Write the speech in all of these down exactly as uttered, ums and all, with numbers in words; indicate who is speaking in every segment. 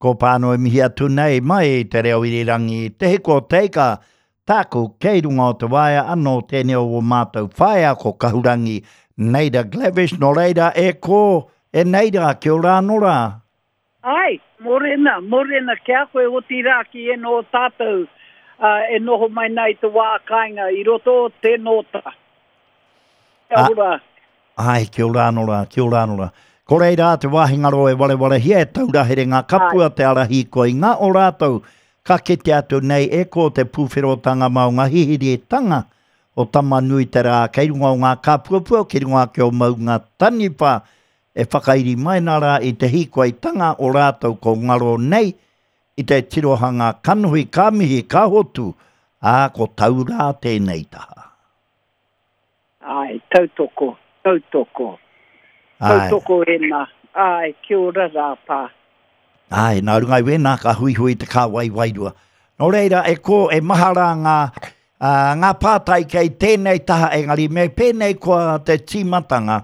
Speaker 1: Ko pāno e mihi atu nei mai te reo irirangi Te Hiko o Te Ika, tāku kei runga o te waea anō tēnei o o mātou whaea ko Kahurangi Neida Glavish, nō reira e kō, e Neida, kia ora anō rā.
Speaker 2: Ai, mōrena, mōrena ki a koe otirā ki ēnō o tātou e noho mai nei i te wā kāinga i roto o te nōta. Kia ora.
Speaker 1: Ai, kia ora anō rā, kia ora anō rā. Ko reira te wāhi ngaro e warewarehia e taura here ngā kapua te ara hīkoi ngā o rātou ka kite atu nei e ko te pūwherotanga ma o ngā hihiritanga o Tama-nui-te-rā kei runga o ngā kāpuapua ki runga ake o Maunga Taniwha e whakairi mai nā rā i te hīkoitanga o rātou ko ngaro nei i te tirohanga kanohi ka mihi ka hotu, ā, ko tau rā tēnei taha.
Speaker 2: Āe, tautoko, tautoko. Tautoko ēnā. Āe, kia ora rā, pā.
Speaker 1: Āe, nā runga i wēnā ka huihui te kāwai wairua. Nō reira, e kō, e maha rā ngā, ā, ngā pātai kei tēnei taha, engari me pēnei koa te tīmatanga.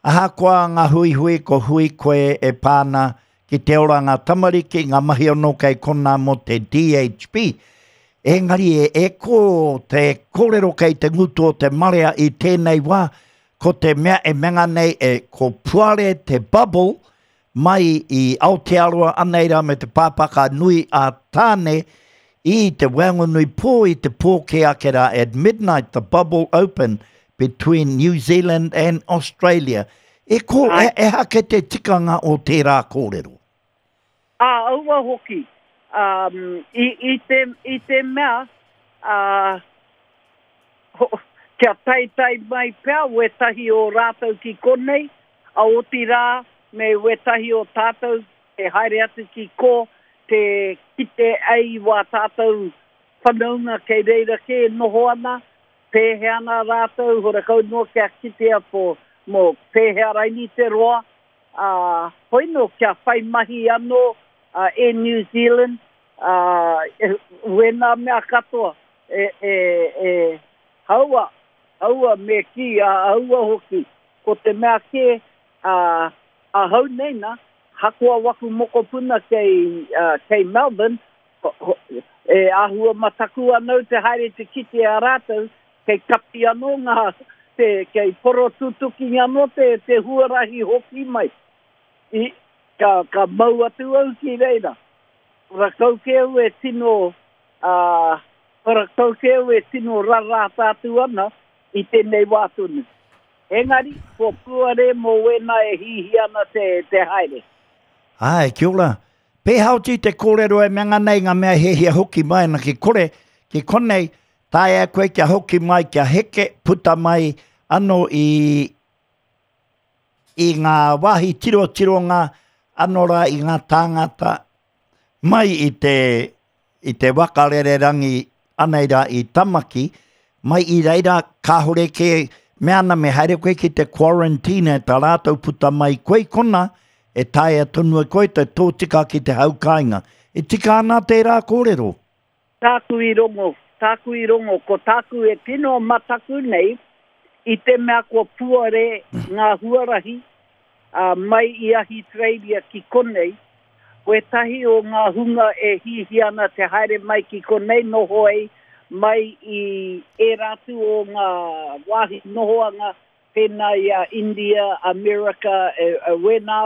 Speaker 1: Ahakoa ngā huihui, ko hui koe e pā ana ki te oranga tamariki, ngā mahi anō kei konā mō te D H B. Engari e, e kō te kōrero kei te ngutu o te marea i tēnei wā, ko te mea e menga nei e ko puare te bubble mai i Aotearoa anei rā me te pāpaka nui a Tāne i te waenganui pō i te pō kē ake rā at midnight the bubble open between New Zealand and Australia. E ko, e, e hake te tikanga o tērā kōrero?
Speaker 2: Ā, aua hoki. Um, i, i, te, i te mea, uh, ho, kia taetae mai pea wētahi o rātou ki konei, a otirā me wētahi o tātou e haere atu ki kō te kite ai wā tātou whanaunga kei reira kē e noho ana, pēhea ana rātou, horakau noa kia kitea po, mō pēhea raini te roa, ā, hoi nō kia whai mahi anō uh, e New Zealand, ā, wēnā mea katoa, e, e, e, haua, haua me kī, a haua hoki, ko te mea kē, ā, ahau nei nā, hakoa waku mokopuna kei, uh, kei Melbourne, ho, ho, e āhua mataku anau te haere te kite a rātou, kei kapi anō ngā, te, kei porotutuki anō te, te huarahi hoki mai. I, ka, ka mau atu au ki reira. Rakau kē au e tino, uh, rakau kē au e tino rarāta atu ana i tēnei wā tonu. Engari, ko puare mō wēnā e hihi ana te, te haere.
Speaker 1: Ai, kia ora. Pēhaoti te kōrero e menga nei ngā mea hehia hoki mai ana ki kore, ki konei, taea koe kia hoki mai, kia heke, puta mai anō i, i ngā wāhi tirotironga anō rā i ngā tāngata mai i te, i te waka rererangi anei rā i Tamaki, mai i reira kāhore kē, mea ana me haere koe ki te quarantine tā rātou puta mai koe kona, e taea tonu e koe te tōtika ki te hau kāinga. E tika ana tērā kōrero?
Speaker 2: Tāku i rongo, tāku i rongo, ko tāku e tino mataku nei, i te mea kua puare ngā huarahi uh, mai i Ahitereiria ki konei, wētahi o ngā hunga e hihi ana te haere mai ki konei noho ai, mai i ērā atu o ngā wāhi nohoanga, pēnā i a India, Amerika, e, e, wēnā,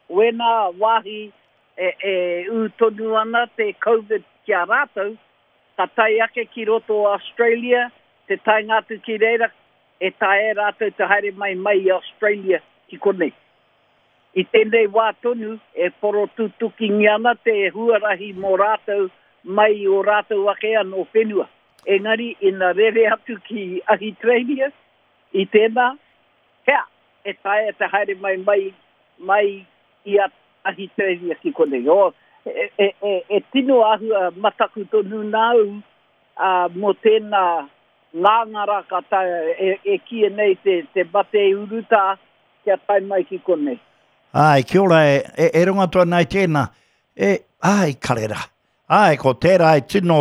Speaker 2: wēnā wāhi e, e ū tonu ana te Covid ki a rātou, ka tae ake ki roto o Australia, te taenga atu ki reira, e taea rātou te haere mai mai i Australia ki konei. I tēnei wā tonu, e porotutukingia ana te huarahi mō rātou mai i o rātou ake anō whenua. Engari, ina rere atu ki Ahitereiria, i tēnā, hea, e taea te haere mai mai, mai i a Ahitereiria ki konei. O, e, e, e, e tino āhua mataku tonu nāu uh, mō tēnā ngāngara ka taea e, e kīia nei te, te mate urutā kia tae mai ki konei.
Speaker 1: Ai, kia ora, e, e, e runga atu ana i tēnā. E, ai, karera. Ai, ko tērā e tino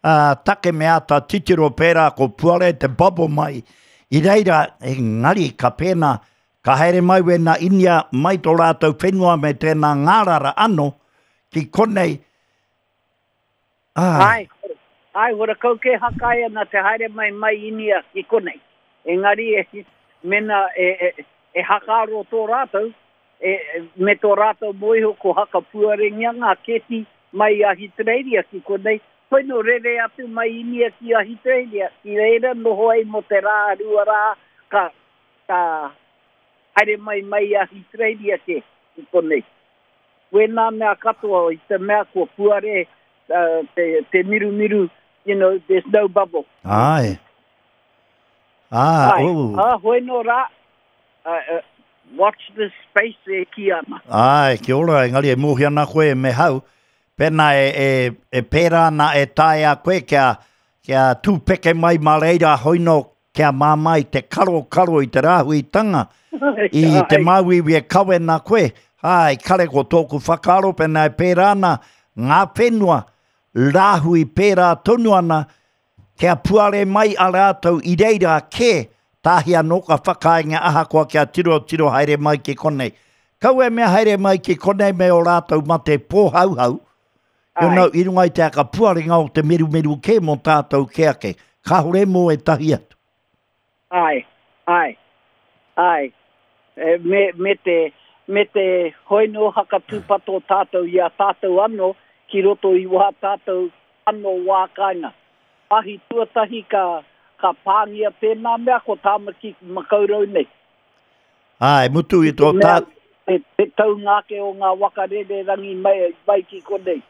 Speaker 1: uh, take me āta titiro pērā ko puare te bubble mai. I reira, engari, ka pēnā, ka haere mai wēnā Inia mai tō rātou whenua me tēnā ngārara anō, ki konei. Ai.
Speaker 2: Ai, ai, horakau ke hakai ana te haere mai mai Inia ki konei. Engari e, mena e, e, e hakaro tō rātou, e, me tō rātou moiho ko hakapuarengia ngā keti mai Ahitereiria ki konei. Hoi no rere atu mai Inia ki Ahitereiria, ki reira noho ai mo te rā, rua rā, ka, ka haere mai mai Ahitereiria ke ki konei. Wēnā mea katoa i te mea kua puare uh, te, te mirumiru, you know, there's no bubble.
Speaker 1: Ai. Ah,
Speaker 2: Ai.
Speaker 1: oh.
Speaker 2: Ah, hoi no rā, uh, uh, watch this space e ki ana.
Speaker 1: Ai, kia ora, engari e mōhi ana koe me hau. Pēnā e, e, e pērā ana e taea koe kia, kia tūpeke mai mā reira hoino kia māmā i te karo karo i te rāhuitanga. I te
Speaker 2: Ai.
Speaker 1: māuiui e kawe nā koe. Ai, kare ko tōku whakaaro pēnā e pērā ana ngā whenua rāhui pērā tonu ana kia puare mai a rātou i reira ke tāhi anō ka whakainga ahakoa kia tiro tiro haere mai ki konei. Kau e mea haere mai ki konei me o rātou mate pōhauhau, you
Speaker 2: Ai.
Speaker 1: know, i runga i te aka puarenga o te merumeru ke mō tātou ke ake. Kāhore mō e tahi atu.
Speaker 2: Ai, ai, ai. E, me, me te, me te hoino hakatūpato tātou i a tātou anō ki roto i wā tātou anō wā kāinga. Ahi tuatahi ka, ka pāngia tēnā mea ko Tāmaki Makaurau nei.
Speaker 1: Ai, mutu i tō
Speaker 2: Mea,
Speaker 1: tā...
Speaker 2: te, te taungake o ngā wakarere rangi mai, mai ki konei.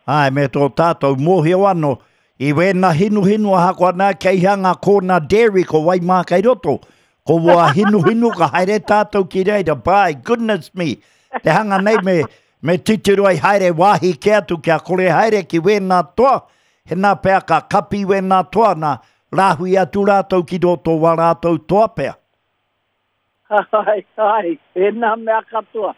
Speaker 1: Ai, me tō tātou mōhio anō, i wēnā hinuhinu ahakoa nā kei hea ngā kōna dairy ko Waimā kei roto. Ko wā hinuhinu ka haere tātou ki reira, by goodness me. Te hanga nei me, me titiro ai haere wāhi ke atu kia kore haere ki wēnā toa. He nā pea ka kapi wēnā toa nā rāhui atu rātou ki roto wā rātou toa pea.
Speaker 2: Ai, ai, e nā mea katoa.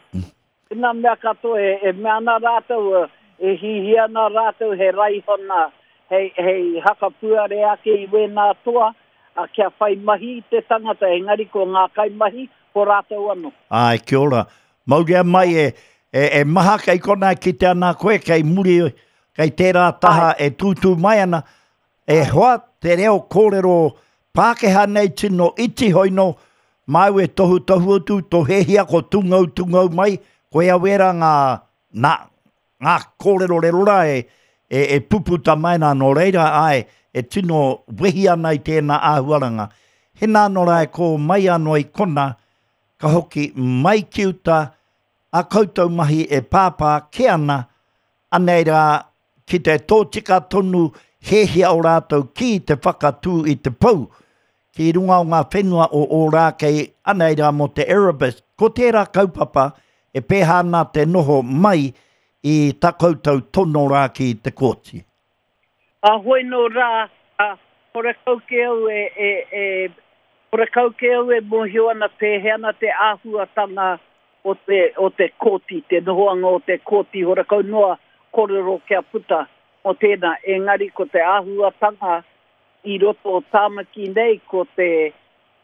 Speaker 2: E nā mea katoa, e, e mea ana rātou, e hihi ana rātou he raihona, hei, hei hakapuare ake i wēnā toa, a kia whai mahi i te tangata, engari ko ngā kai mahi, ko rātou anō.
Speaker 1: Ai, kia ora. Mauria mai e, e, e maha kei kona ki te ana koe, kei muri, kei tērā taha e tūtū mai ana. E hoa te reo kōrero Pākehā nei tino iti hoino, māu e tohu tohu atu, tō hehia ko tungau tungau mai, koe a wera ngā, nā, ngā kōrero rero rā e, e, e puputa mai nā nō reira, ai, e tino wehi ana i tēnā āhuaranga. Hena anō rā e ko mai anō i kona, ka hoki mai ki uta, a koutou mahi e pāpā ke ana, anei rā ki te tōtika tonu hehia o rātou ki te whakatū i te pou, ki runga o ngā whenua o Ōrākei, anei rā mō te Erebus. Ko tērā kaupapa e pēhā ana te noho mai i tā koutou tono rā ki te kōti.
Speaker 2: A hoi no rā, a, horakau ke au e, e, e, horakau ke au e mōhio ana pēhea ana te āhuatanga o te, o te kōti, te nohoanga o te kōti, horakau noa kōrero kia puta o tēnā. Engari ko te āhuatanga i roto o Tāmaki nei, ko te,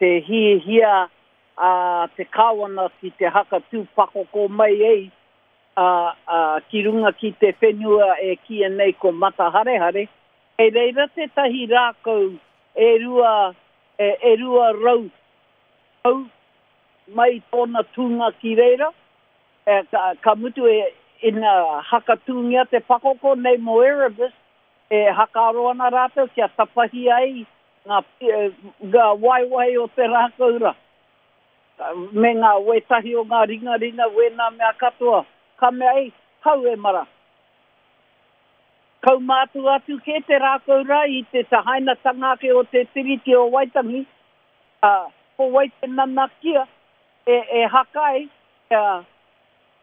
Speaker 2: te hihia a te kāwana ki te hakatū pakoko mai ei, a, a, ki runga ki te whenua e kia nei ko Mataharehare, e reira tētahi rākau e rua, e, e rua rau au mai tōna tūnga ki reira, e, ka, ka mutu e ina hakatūngia te pakoko nei mō Erebus, e hakaro ana rātou kia tapahi ai ngā, e, ngā waiwai o te rākau rā. Me ngā wētahi o ngā ringaringa wēnā mea katoa. Ka mea ei, hau e mara. Kau mātu atu ke te rākau rā i te tahainatanga ake o te Tiriti o Waitangi, a, ko wai te nanakia e, e hakai, kia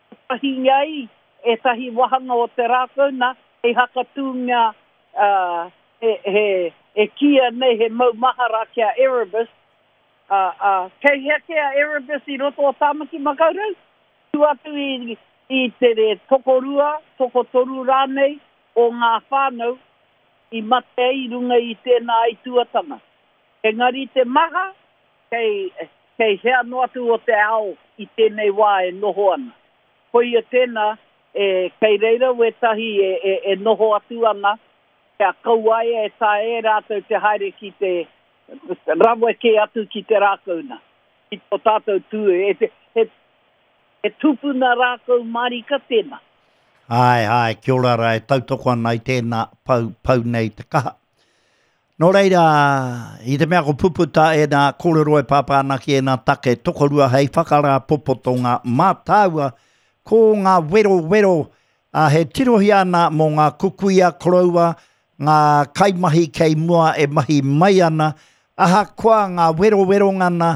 Speaker 2: tapahi ai e tahi wahanga o te rākau nā, e hakatūngia uh, e, he, e kia nei he mau mahara kia Erebus. Uh, uh, kei hea ke a Erebus i roto o Tāmaki Makaurau? Tu atu i, i te re tokorua, tokotoru rānei o ngā whānau i mate ai runga i tēnā aituatanga. Engari te maha, kei, kei hea noa atu o te ao i tēnei wā e noho ana. Koia tēnā, E, kei reira wētahi e, e, e noho atu ana, kia kaua ai e taea e rātou te haere ki te rawe kē atu ki te rākau nā, ki tō tātou tū, e, he, he, he tupuna rākau mārika tēnā.
Speaker 1: Āe, āe, kia ora rā, e tautoko ana i tēnā pau, pau nei te kaha. Nō reira, i te mea ko puputa ēnā kōrero e pāpā ana ki ēnā take tokorua hei whakarāpopotonga mā tāua, ko ngā werowero, ā, he tirohia ana mō ngā kukuia koroua, ngā kaimahi kei mua e mahi mai ana, ahakoa ngā weroweronga na,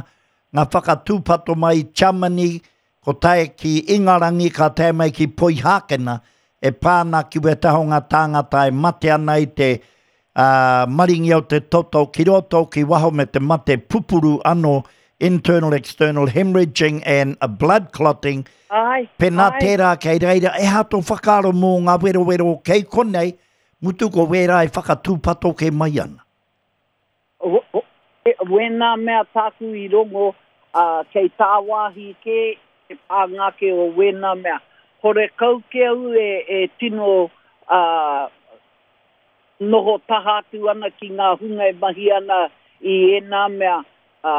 Speaker 1: ngā whakatūpato mai i Tiamani, ko tae ki Ingarangi, ka tae mai ki Poihākena, e pā ana ki wētahi o ngā tāngata e mate ana i te ā, maringi o te toto ki roto, ki waho me te mate pupuru anō, internal external hemorrhaging and blood clotting,
Speaker 2: Āe,
Speaker 1: pēnā
Speaker 2: āe.
Speaker 1: tērā kei reira, e aha tō whakaaro mō ngā werowero kei konei, mutu ko wērā e whakatūpato kē mai ana.
Speaker 2: Wēnā mea tāku i rongo, ā, kei tāwāhi kē te pānga ake o wēnā mea. Horekau kē au e, e tino, ā, noho taha atu ana ki ngā hunga e mahi ana i ēnā mea, ā,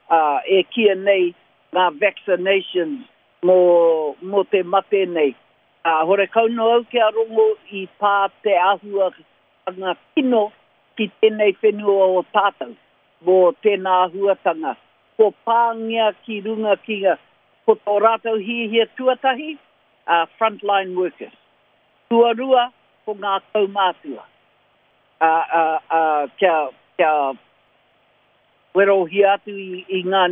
Speaker 2: ā, e kīia nei ngā vaccinations mō, mō te mate nei. Ā, horekau noa au kia rongo i pā te āhuatanga kino ki tēnei whenua o tātou mō tēnā āhuatanga. Kua pāngia ki runga ki ngā, ko tō rātou hiahia tuatahi, ā, frontline workers. Tuarua, ko ngā kaumātua. Ā, ā, ā, kia, kia werohia atu i, i ngā,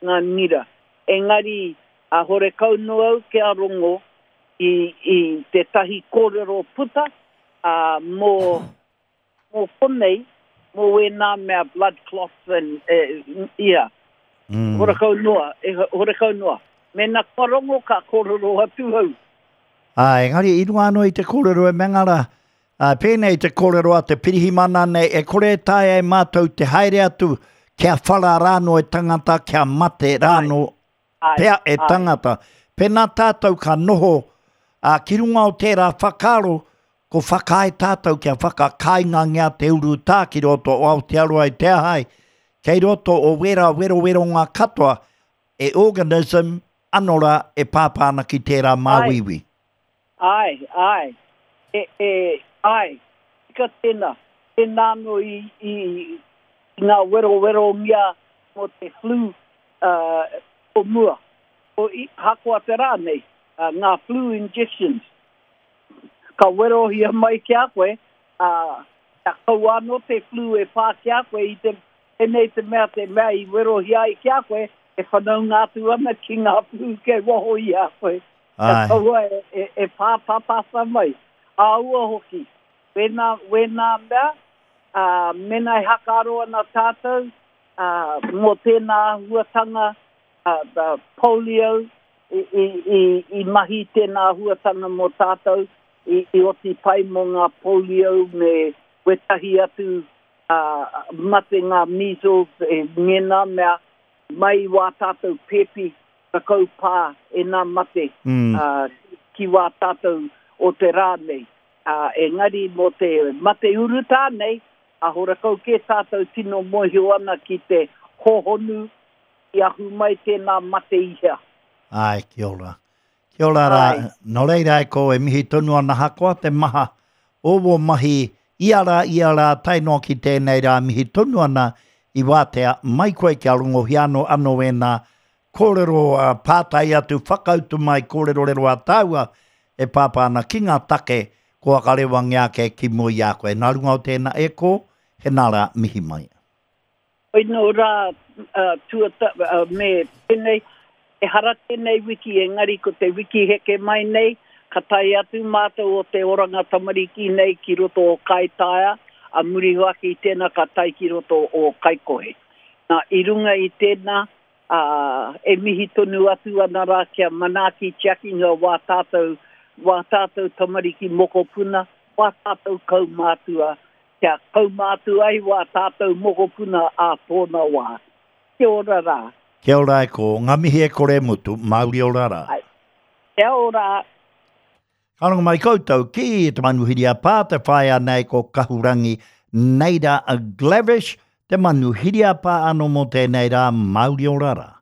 Speaker 2: ngā ngira. Engari, ā, horekau noa au kia rongo i, i tētahi kōrero puta, ā, mō, mō konei, mō wēnā mea blood clots and, e, ia.
Speaker 1: Mm.
Speaker 2: Horekau noa, e, horekau noa. Mēnā kua rongo ka kōrero atu au.
Speaker 1: Ā, engari i runga anō i te kōrero e Mengara, ā, pēnei te kōrero a te pirihimana nei, e kore e taea e mātou te haere atu kia whara rānō e tangata, kia mate rānō pea e tangata. Pēnā tātou ka noho, ā, ki runga o tērā whakaaro, ko whakaae tātou kia whakakāingangia te urutā ki roto o Aotearoa i te aha ai, kei roto o wērā weroweronga katoa, e organism ano rā e pāpā ana ki tērā māuiui.
Speaker 2: Āe, āe, e, e, āe, tika tēnā, tēnā anō i, i, i ngā werowerongia mō te flu uh, o mua, o i, hakoa te rā nei, uh, ngā flu injections. Ka werohia mai ki a koe, ā, kia kaua anō te flu e pā ki a koe i te, tēnei te mea, te mea i werohia ai ki a koe, e whanaunga atu ana ki ngā flu kei waho i a koe. Kia
Speaker 1: Āe.
Speaker 2: kaua e, e, e pāpāpāpā mai. Āua hoki, wēnā, wēnā mea, ā, mēnā e hakaaro ana tātou, ā, mō tēnā āhuatanga, ā, the polio, i, i, i, i mahi tēnā āhuatanga mō tātou, i, i oti pai mō ngā polio me wētahi atu ā, mate ngā measles e ngēnā mea, mai i wā tātou pēpi rakau pā e nā mate
Speaker 1: Mm.
Speaker 2: ā, ki wā tātou o te rā nei. Ā, engari mō te mate urutā nei, ā, horakau kē tātou tino mōhio ana ki te hōhonu i ahu mai tēnā mate i hea.
Speaker 1: Āe, kia ora. Kia ora rā.
Speaker 2: Āe.
Speaker 1: Nō reira e ko e mihi tonu ana hakoa te maha o wō mahi ia rā, ia rā, tae noa ki tēnei rā mihi tonu ana i wātea mai koe kia rongohia anō anō ēnā kōrero ā, pātai atu, whakautu mai kōrerorero a tāua e pāpā ana ki ngā take kua whakarewangia ake ki mua i a koe. Nā runga o tēnā e ko, he nā rā mihi mai.
Speaker 2: Koinō rā tuata, me pēnei, ehara tēnei wiki engari ko te wiki heke mai nei, ka tae atu mātou o te Oranga Tamariki nei ki roto o Kaitaia, a muri ake i tēnā ka tae ki roto o Kaikohe. Nā, i runga i tēnā, ā, e mihi tonu atu ana rā kia manaaki tiakinga wā tātou, wā tātou tamariki mokopuna, wā tātou kaumātua, kia kaumātua ai wā tātou mokopuna ā tōna wā. Kia ora rā.
Speaker 1: Kia ora e ko, ngā mihi e kore mutu, mauri ora rā.
Speaker 2: Ai. Kia ora.
Speaker 1: Ka rongo mai koutou ki te manuhiri a pā, te whaea nei ko Kahurangi Neira Glavish, te manuhiri a pā anō mō tēnei rā, mauri ora rā.